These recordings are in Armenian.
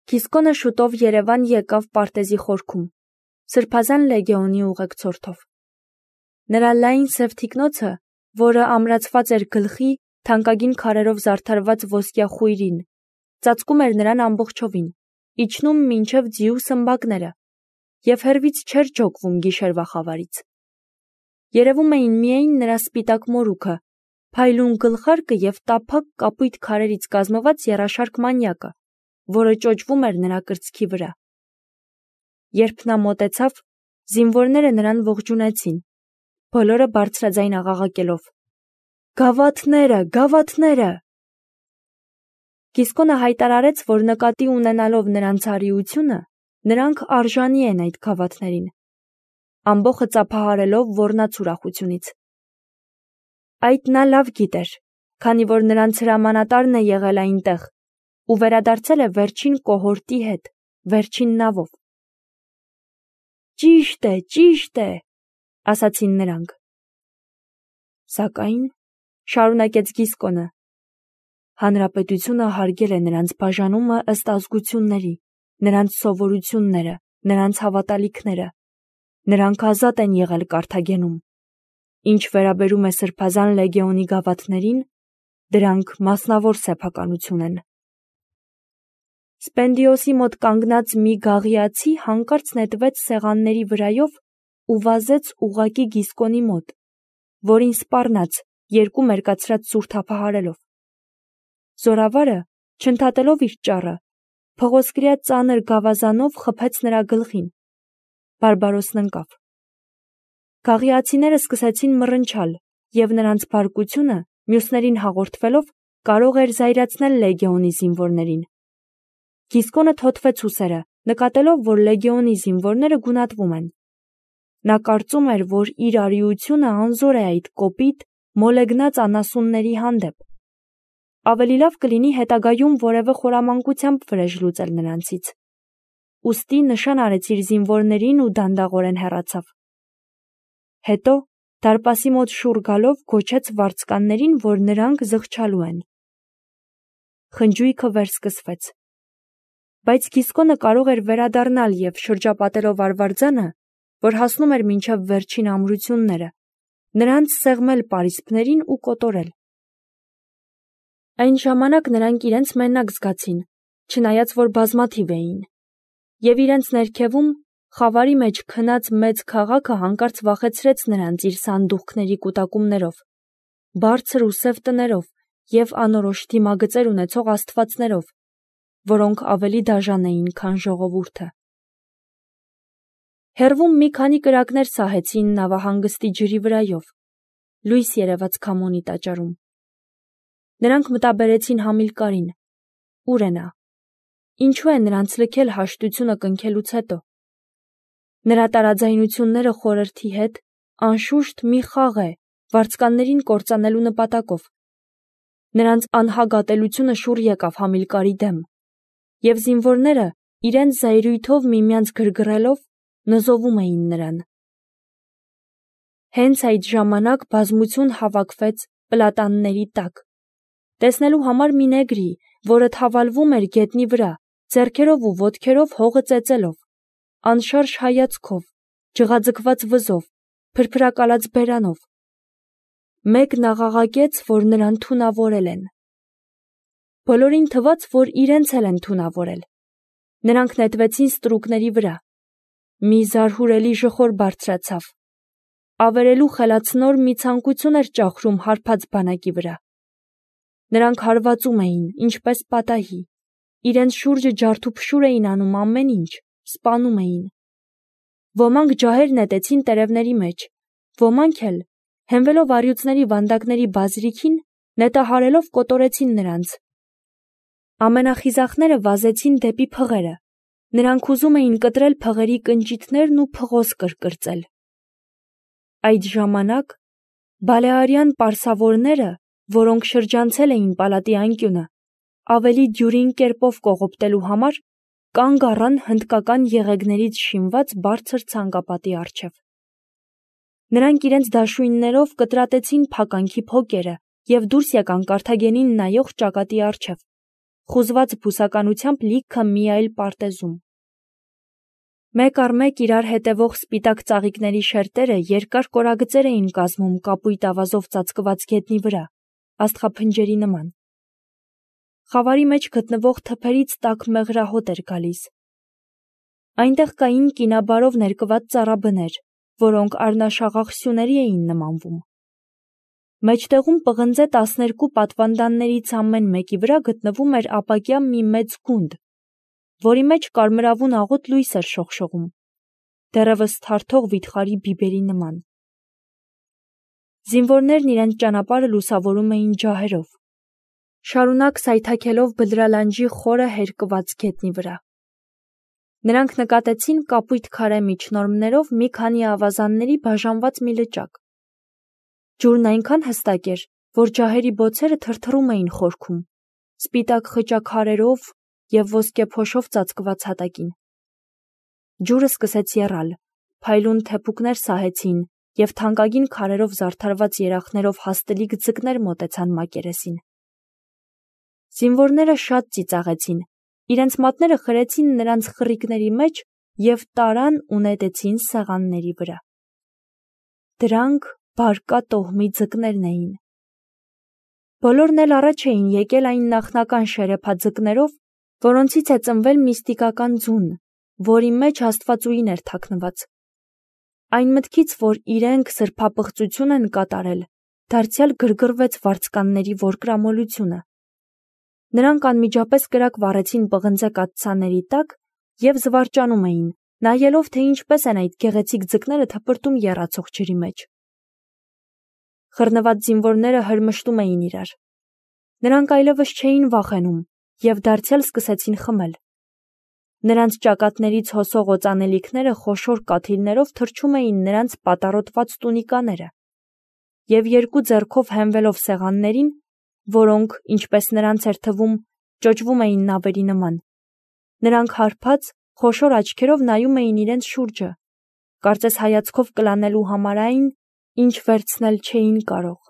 Գիսկոնը շուտով Երևան եկավ պարտեզի խորքում, Սրբազան լեգեոնի ուղեկցորդով։ Նրա լայն սև թիկնոցը, որը ամրացված էր գլխի, թանկագին քարերով զարդարված ոսկյա խույրին, ծածկում էր նրան ամբողջովին, իջնում մինչև ձիու սմբակները, և հեռվից չէր ջոկվում գիշերվա խավարից։ Երևում էին միայն նրա սպիտակ մորուքը, փայլուն գլխարկը և տափակ կապույտ քարերից կազմված եռաշարք մանյակը, որը ճոճվում էր նրա կրծքի վրա։ Երբ նա մոտեցավ, զինվորները նրան ողջունեցին, բոլորը բարձրաձայն աղաղակելով. «Գավաթները, գավաթները»։ Գիսկոնը հայտարարեց, որ նկատի ունենալով նրանց արիությունը, նրանք արժանի են այդ գավաթներին, ամբոխը ծափահարելով ոռնաց ուրախությունից։ Այդ նա լավ գիտեր, քանի որ նրանց հրամանատարն է եղել այնտեղ ու վերադարձել է վերջին կոհորտի հետ, վերջին նավով։ Ճիշտ է, ասացին նրանք։ Սակայն, շարունակեց Գիսկոնը, հանրապետությունը հարգել է նրանց բաժանումը ըստ ազգությունների, նրանց սովորությունները, նրանց հավատալիքները, նրանք ազատ են եղել Կարթագենում։ Ինչ վերաբերում է Սրբազան լեգեոնի գավաթներին, դրանք մասնավոր սեփականություն են։ Սպենդիոսի մոտ կանգնած մի գաղիացի հանկարծ նետվեց սեղանների վրայով ու վազեց ուղղակի Գիսկոնի մոտ, որին սպառնաց, երկու մերկացրած սուր թափահարելով։ Զորավարը, չընդհատելով իր ճառը, փղոսկրյա ծանր գավազանով խփեց նրա գլխին։ Բարբարոսն ընկավ։ Գաղիացիները սկսեցին մռնչալ, և նրանց բարկությունը, մյուսներին հաղորդվելով, կարող էր զայրացնել լեգեոնի զինվորներին։ Գիսկոնը թոթվեց ուսերը, նկատելով, որ լեգեոնի զինվորները գունատվում են։ Նա կարծում էր, որ իր արիությունը անզոր է այդ կոպիտ, մոլեգնած անասունների հանդեպ։ Ավելի լավ կլինի հետագայում որևէ խորամանկությամբ վրեժ լուծել նրանցից։ Ուստի նշան արեց իր զինվորներին ու դանդաղորեն հեռացավ։ Հետո, դարպասի մոտ շուռ գալով, գոչեց վարձկաններին, որ նրանք զղջալու են։ Խնջույքը վերսկսվեց։ Բայց Գիսկոնը կարող էր վերադառնալ և շրջապատելով արվարձանը, որ հասնում էր մինչև վերջին ամրությունները, նրանց սեղմել պարիսպներին ու կոտորել։ Այն ժամանակ նրանք իրենց մենակ զգացին, չնայած որ բազմաթիվ էին, և իրենց ներքևում, խավարի մեջ քնած մեծ քաղաքը հանկարծ վախեցրեց նրանց իր սանդուղքների կուտակումներով, բարձր ու սև տներով և անորոշ դիմագծեր ունեցող աստվածներով, որոնք ավելի դաժան էին, քան ժողովուրդը։ Հեռվում մի քանի կրակներ սահեցին նավահանգստի ջրի վրայով, լույս երևաց քամոնի տաճարում։ Նրանք մտաբերեցին Համիլկարին։ Ուր է նա։ Ինչու է նրանց լքել հաշտությունը կնքելուց հետո։ Նրա տարաձայնությունները խորհրդի հետ, անշուշտ, մի խաղ է, վարձկաններին կործանելու նպատակով։ Նրանց անհագատելությունը շուռ եկավ Համիլկարի դեմ, և զինվորները, իրենց զայրույթով միմյանց գրգռելով, նզովում էին նրան։ Հենց այդ ժամանակ բազմություն հավաքվեց պլատանների տակ, տեսնելու համար մի նեգրի, որը թավալվում էր գետնի վրա, ձեռքերով ու ոտքերով հողը ծեծելով, անշարժ հայացքով, ջղաձգված վզով, փրփրակալած բերանով։ Մեկն աղաղակեց, որ նրան թունավորել են։ Բոլորին թվաց, որ իրենց էլ են թունավորել։ Նրանք նետվեցին ստրուկների վրա։ Մի զարհուրելի ժխոր բարձրացավ։ Ավերելու խելացնոր մի ցանկություն էր ճախրում հարբած բանակի վրա։ Նրանք հարվածում էին, ինչպես պատահի, իրենց շուրջը ջարդուփշուր էին անում ամեն ինչ, սպանում էին։ Ոմանք ջահեր նետեցին տերևների մեջ, ոմանք էլ, հենվելով առյուծների վանդակների բազրիքին, նետահարելով կոտորեցին նրանց։ Ամենախիզախները վազեցին դեպի փղերը։ Նրանք ուզում էին կտրել փղերի կնճիթներն ու փղոս կրկրծել։ Այդ ժամանակ բալեարյան պարսավորները, որոնք շրջանցել էին պալատի անկյունը, ավելի դյուրին կերպով կողոպտելու համար, կանգ առան հնդկական եղեգներից շինված բարձր ցանկապատի առջև։ Նրանք իրենց դաշույններով կտրատեցին փականքի փոկերը և դուրս եկան Կարթագենին նայող ճակատի առջև, խուզված բուսականությամբ լիքը մի այլ պարտեզում։ Մեկ առ մեկ իրար հետևող սպիտակ ծաղիկների շերտերը երկար կորագծեր էին կազմում կապույտ ավազով ծածկված գետնի վրա, աստղափնջերի նման։ Խավարի մեջ գտնվող թփերից տաք մեղրահոտ էր գալիս։ Այնտեղ կային կինաբարով ներկված ծառաբներ, որոնք առնաշաղախ սյուների էին նմանվում։ Մեջտեղում պղնձե 12 պատվանդաններից ամեն մեկի վրա գտնվում էր ապակյա մի մեծ գունդ, որի մեջ կարմրավուն աղոտ լույս էր շողշողում, դեռևս թարթող վիթխարի բիբերի նման։ Զինվորներն իրենց ճանապարհը լուսավորում էին ջահերով, շարունակ սայթաքելով բլրալանջի խորը հերկված գետնի վրա։ Նրանք նկատեցին կապույտ քարե միջնորմներով մի քանի ավազանների բաժանված մի լճակ։ Ջուրն այնքան հստակ էր, որ ջահերի բոցերը թրթռում էին խորքում, սպիտակ խճաքարերով և ոսկե փոշով ծածկված հատակին։ Ջուրը սկսեց եռալ, փայլուն թեփուկներ սահեցին և թանկագին քարերով զարդարված երախներով հաստլիկ ձկներ մոտեցան մակերեսին։ Զինվորները շատ ծիծաղեցին, իրենց մատները խրեցին նրանց խռիկների մեջ և տարան ու նետեցին սեղանների վրա։ Դրանք բարկա տոհմի ձկներն էին։ Բոլորն էլ առաջ էին եկել այն նախնական շերեփաձկներով, որոնցից է ծնվել միստիկական ձուն, որի մեջ աստվածուհին էր թաքնված։ Այն մտքից, որ իրենք սրբապղծություն են կատարել, դարձյալ գրգռվեց վարձկանների որկրամոլությունը։ Նրանք անմիջապես կրակ վառեցին պղնձե կաթսաների տակ և զվարճանում էին, նայելով, թե ինչպես են այդ գեղեցիկ ձկները թպրտում եռացող ջրի մեջ։ Խռնված զինվորները հրմշտում էին իրար։ Նրանք այլևս չէին վախենում և դարձյալ սկսեցին խմել։ Նրանց ճակատներից հոսող օծանելիքները խոշոր կաթիլներով թռչում էին նրանց պատառոտված տունիկաները, և երկու ձեռքով հենվելով սեղաններին, որոնք, ինչպես նրանց էր թվում, ճոճվում էին նավերի նման, նրանք հարբած, խոշոր աչքերով նայում էին իրենց շուրջը, կարծես հայացքով կլանելու համար այն, ինչ վերցնել չէին կարող։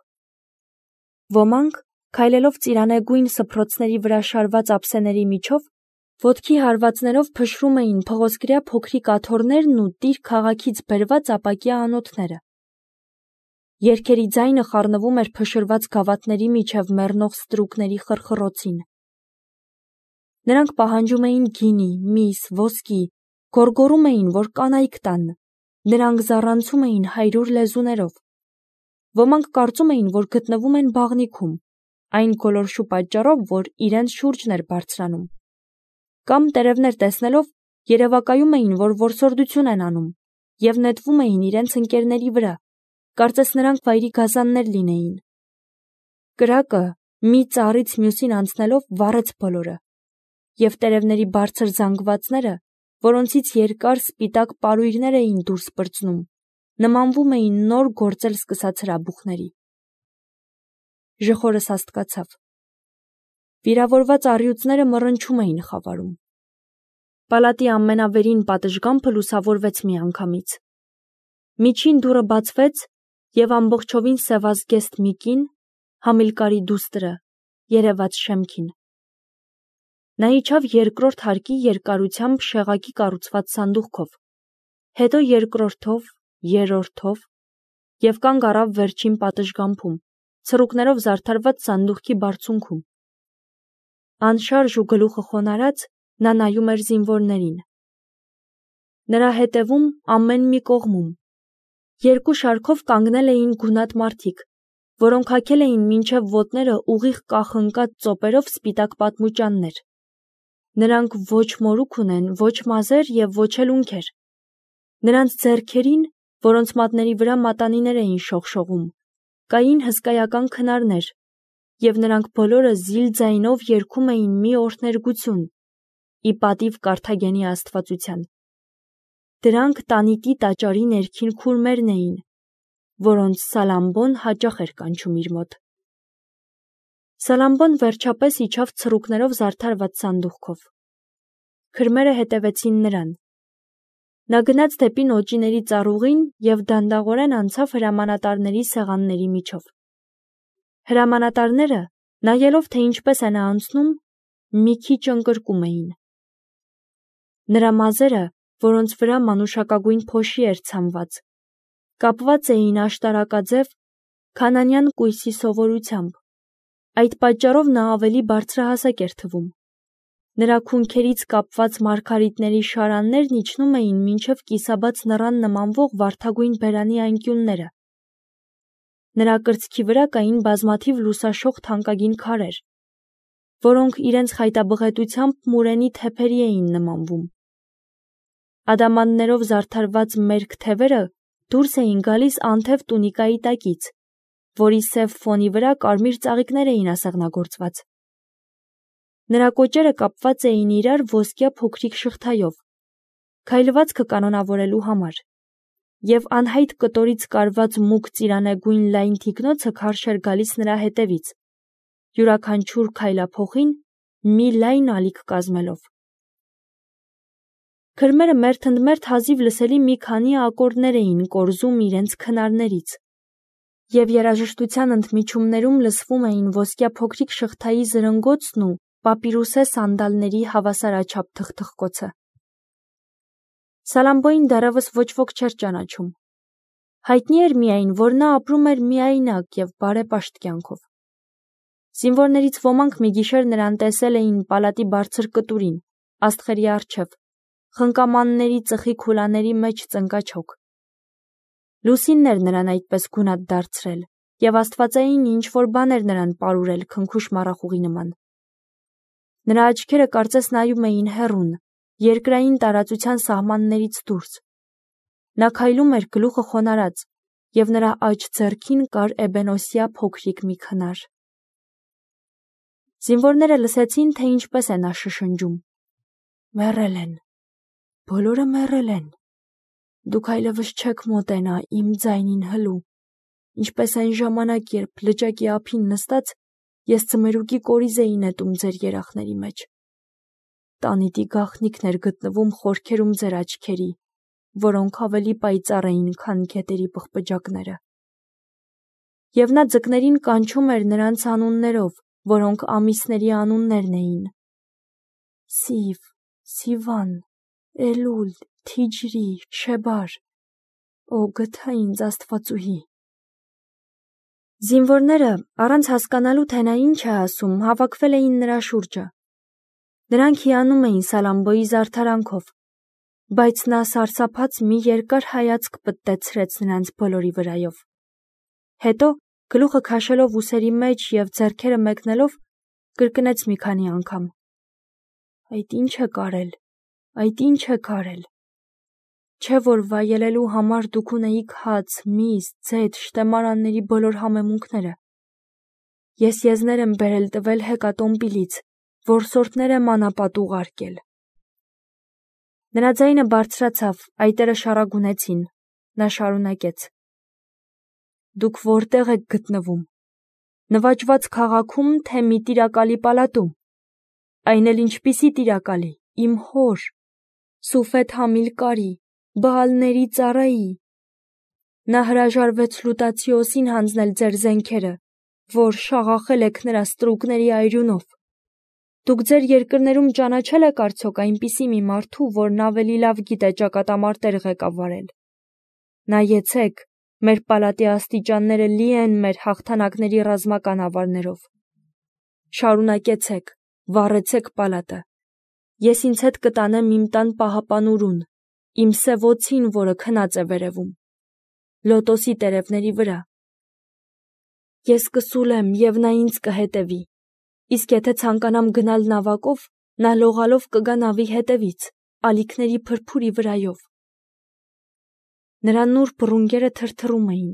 Ոմանք, քայլելով ծիրանեգույն սփռոցների վրա շարված ափսեների միջով, ոտքի հարվածներով փշրում էին փղոսկրյա փոքրիկ աթոռներն ու տիր քաղաքից բերված ապակյա անոթները։ Երգերի ձայնը խառնվում էր փշրված գավաթների միջև մեռնող ստրուկների խռխռոցին։ Նրանք պահանջում էին գինի, միս, ոսկի, գոռգոռում էին, որ կանայք տան, նրանք զառանցում էին 100 լեզուներով։ Ոմանք կարծում էին, որ գտնվում են բաղնիքում, այն գոլորշու պատճառով, որ իրենց շուրջն էր բարձրանում։ Կամ տերևներ տեսնելով երևակայում էին, որ որսորդություն են անում և նետվում էին իրենց ընկերների վրա, կարծես նրանք վայրի գազաններ լինեին։ Կրակը մի ծառից մյուսին անցնելով վառեց բոլորը, և տերևների բարձր զանգվածները, որոնցից երկար սպիտակ պարույրներ էին դուրս պրծնում, նմանվում էին նոր գործել սկսած հրաբուխների։ Ժխորը սաստկացավ։ Վիրավորված առյուծները մռնչում էին խավարում։ Պալատի ամենավերին պատշգամբը լուսավորվեց միանգամից։ Միջին դուռը բացվեց, և ամբողջովին սևազգեստ մի կին, Համիլկարի դուստրը, երևաց շեմքին։ Նա իջավ երկրորդ հարկի երկարությամբ շեղակի կառուցված սանդուղքով, հետո երկրորդով, երրորդով և կանգ առավ վերջին պատշգամբում, ցռուկներով զարդարված սանդուղքի բարձունքում։ Անշարժ ու գլուխը խոնարհած, նա նայում էր զինվորներին։ Նրա հետևում, ամեն մի կողմում, երկու շարքով կանգնել էին գունատ մարդիկ, որոնք հագել էին մինչև ոտները ուղիղ կախնկած ծոպերով սպիտակ պատմուճաններ։ Նրանք ոչ մորուք ունեն, ոչ մազեր և ոչ էլ ունքեր։ Նրանց ձեռքերին, որոնց մատների վրա մատանիներ էին շողշողում, կային հսկայական քնարներ, և նրանք բոլորը զիլ ձայնով երգում էին մի օրհներգություն, ի պատիվ Կարթագենի աստվածության։ Դրանք տանիտի տաճարի ներքին քուրմերն էին, որոնց Սալամբոն հաճախ էր կանչում իր մոտ։ Սալամբոն վերջապես իջավ ցռուկներով զարդարված սանդուղքով։ Քրմերը հետևեցին նրան։ Նա գնաց դեպի նոճիների ծառուղին և դանդաղորեն անցավ հրամանատարների սեղանների միջով։ Հրամանատարները, նայելով, թե ինչպես է նա անցնում, մի քիչ ընկրկում էին։ Նրա մազերը, որոնց վրա մանուշակագույն փոշի էր ցամված, կապված էին աշտարակաձև քանանյան կույսի սովորությամբ, այդ պատճառով նա ավելի բարձրահասակ էր թվում։ Նրա քունքերից կապված մարգարիտների շարաններն իջնում էին մինչև կիսաբաց նռան նմանվող վարդագույն բերանի անկյունները։ Նրա կրծքի վրա կային բազմաթիվ լուսաշող թանկագին քարեր, որոնք իրենց խայտաբղետությամբ մուրենի թեփերի էին նմանվում։ Ադամաններով զարդարված մերկ թևերը դուրս էին գալիս անթև տունիկայի տակից, որի սև ֆոնի վրա կարմիր ծաղիկներ էին ասեղնագործված։ Նրա կոճերը կապված էին իրար ոսկյա փոքրիկ շղթայով, քայլվածքը կանոնավորելու համար, և անհայտ կտորից կարված մուգ ծիրանեգույն լայն թիկնոցը քարշ էր գալիս նրա հետևից, յուրաքանչյուր քայլափոխին մի լայն ալիք կազմելով։ Քրմերը մերթընդմերթ հազիվ լսելի մի քանի ակորդներ էին կորզում իրենց քնարներից, և երաժշտության ընդմիջումներում լսվում էին ոսկյա փոքրիկ շղթայի զրնգոցն ու պապիրուսե սանդալների հավասարաչափ թխթխկոցը։ Սալամբոյին դեռևս ոչ ոք չէր ճանաչում։ Հայտնի էր միայն, որ նա ապրում էր միայնակ և բարեպաշտ կյանքով։ Զինվորներից ոմանք մի գիշեր նրան տեսել էին պալատի բարձր կտուրին, աստղերի առջև, խնկամանների ծխի քուլաների մեջ ծնկաչոք։ Լուսինն էր նրան այդպես գունատ դարձրել, և աստվածային ինչ-որ բան էր նրան պարուրել քնքուշ մառախուղի նման։ Նրա աչքերը կարծես նայում էին հեռուն, երկրային տարածության սահմաններից դուրս։ Նա քայլում էր գլուխը խոնարհած, և նրա աջ ձեռքին կար էբենոսյա փոքրիկ մի քնար։ Զինվորները լսեցին, թե ինչպես է նա շշնջում. «Մեռել են, բոլորը մեռել են, դուք այլևս չեք մոտենա իմ ձայնին հլու, ինչպես այն ժամանակ, երբ լճակի ափին նստած ես ձմերուկի կորիզ էի նետում ձեր երախների մեջ։ Տանիտի գաղտնիքն էր գտնվում խորքերում ձեր աչքերի, որոնք ավելի պայծառ էին, քան գետերի պղպջակները»։ Եվ նա ձկներին կանչում էր նրանց անուններով, որոնք ամիսների անուններն էին. Սիվ, Սիվան, Էլուլ, Թիջրի, Շեբար, «Ո գթա ինձ Աստվածուհի»։ Զինվորները, առանց հասկանալու, թե նա ինչ է ասում, հավաքվել էին նրա շուրջը։ Նրանք հիանում էին Սալամբոյի զարդարանքով, բայց նա սարսափած մի երկար հայացք պտտեցրեց նրանց բոլորի վրայով։ Հետո, գլուխը քաշելով ուսերի մեջ և ձեռքերը մեկնելով, կրկնեց մի քանի անգամ. «Այդ ինչ եք արել, այդ ինչ եք արել։ Չէ՞ որ վայելելու համար դուք ունեիք հաց, միս, ձեթ, շտեմարանների բոլոր համեմունքները։ Ես եզներ եմ բերել տվել հեկատոմպիլից, որսորդներ եմ անապատ ուղարկել»։ Նրա ձայնը բարձրացավ, այտերը շառագունեցին։ Նա շարունակեց. «Դուք որտեղ եք գտնվում։ Նվաճված քաղաքի՞ում, թե մի տիրակալի պալատում։ Այն էլ ինչպիսի տիրակալի, իմ հոր, Սուֆեթ Համիլկարի, Բաալների ծառայի։ Նա հրաժարվեց Լուտացիոսին հանձնել ձեր զենքերը, որ շաղախել եք նրա ստրուկների այրունով։ Դուք ձեր երկրներում ճանաչել եք արդյոք այնպիսի մի մարդու, որն ավելի լավ գիտե ճակատամարտեր ղեկավարել։ Նայեցեք, մեր պալատի աստիճանները լի են մեր հաղթանակների ռազմական ավարներով։ Շարունակեցեք, վառեցեք պալատը։ Ես ինձ հետ կտանեմ իմ տան պահապանուրուն, իմ սև օձին, որը քնած է վերևում, լոտոսի տերևների վրա։ Ես կսուլեմ, և նա ինձ կհետևի, իսկ եթե ցանկանամ գնալ նավակով, նա լողալով կգա նավի հետևից, ալիքների փրփուրի վրայով։ Նրա նուրբ ռունգերը թրթռում էին։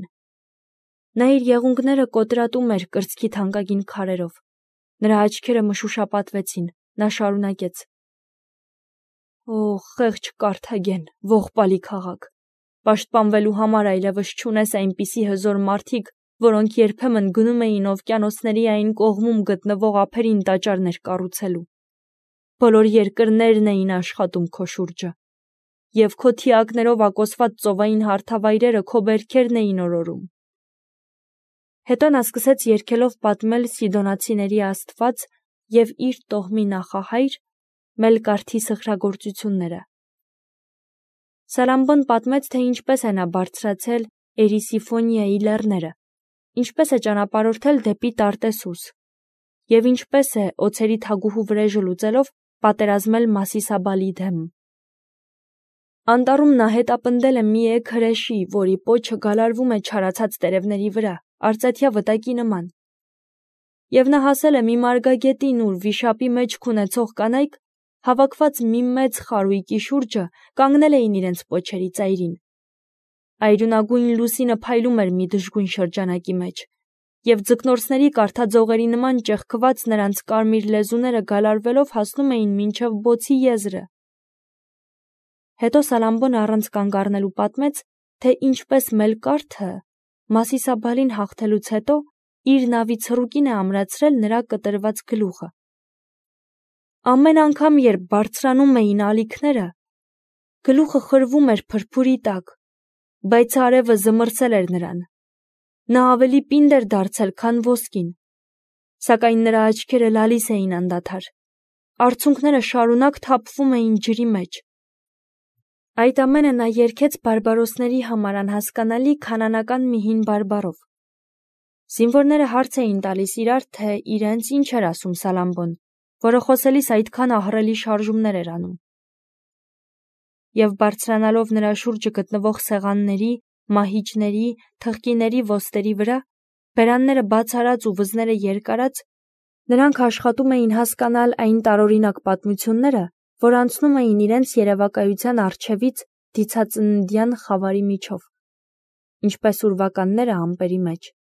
Նա իր եղունգները կոտրատում էր կրծքի թանկագին քարերով։ Նրա աչքերը մշուշապատվեցին։ Նա շարունակեց. «Օ, խեղճ Կարթագեն, ողբալի քաղաք, պաշտպանվելու համար այլևս չունես այնպիսի հզոր մարդիկ, որոնք երբեմն գնում էին օվկիանոսների այն կողմում գտնվող ափերին տաճարներ կառուցելու։ Բոլոր երկրներն էին աշխատում քո շուրջը, և քո թիակներով ակոսված ծովային հարթավայրերը քո բերքերն էին օրորում»։ Հետո նա սկսեց երգելով պատմել սիդոնացիների աստված և իր տոհմի նախահայր Մելկարթի սխրագործությունները։ Սալամբոն պատմեց, թե ինչպես է նա բարձրացել Էրիսիֆոնիայի լեռները, ինչպես է ճանապարհորդել դեպի Տարտեսուս, և ինչպես է օձերի թագուհու վրեժը լուծելով պատերազմել Մասիսաբալի դեմ։ Անտառում նա հետապնդել է մի էգ հրեշի, որի պոչը գալարվում է չարացած տերևների վրա, արծաթյա վտակի նման։ Եվ նա հասել է մի մարգագետին, ուր վիշապի մեջք ունեցող կանայք, հավաքված մի մեծ խարույկի շուրջը, կանգնել էին իրենց պոչերի ծայրին։ Այրունագույն լուսինը փայլում էր մի դժգույն շրջանակի մեջ, և ձկնորսների կարթաձողերի նման ճեղքված նրանց կարմիր լեզուները գալարվելով հասնում էին մինչև բոցի եզրը։ Հետո Սալամբոն առանց կանգ առնելու պատմեց, թե ինչպես Մելկարթը Մասիսաբալին հաղթելուց հետո իր նավի ցռուկին է ամրացրել նրա կտրված գլուխը։ Ամեն անգամ, երբ բարձրանում էին ալիքները, գլուխը խրվում էր փրփուրի տակ, բայց արևը զմռցել էր նրան։ Նա ավելի պինդ էր դարձել, քան ոսկին, սակայն նրա աչքերը լալիս էին անդադար, արցունքները շարունակ թափվում էին ջրի մեջ։ Այդ ամենը նա երգեց բարբարոսների համար անհասկանալի քանանական մի հին բարբառով։ Զինվորները հարց էին տալիս իրար, թե իրենց ինչ էր ասում Սալամբոն, որը խոսելիս այդքան ահռելի շարժումներ էր անում։ Եվ բարձրանալով նրա շուրջը գտնվող սեղանների, մահիճների, թխկիների ոսტերի վրա, բերանները բաց արած ու վզները երկարած, նրանք աշխատում էին հասկանալ այն տարօրինակ պատմությունները, որ անցնում էին իրենց երևակայության առջևից դիցածննդյան խավարի միջով, ինչպես ուրվականները ամպերի մեջ։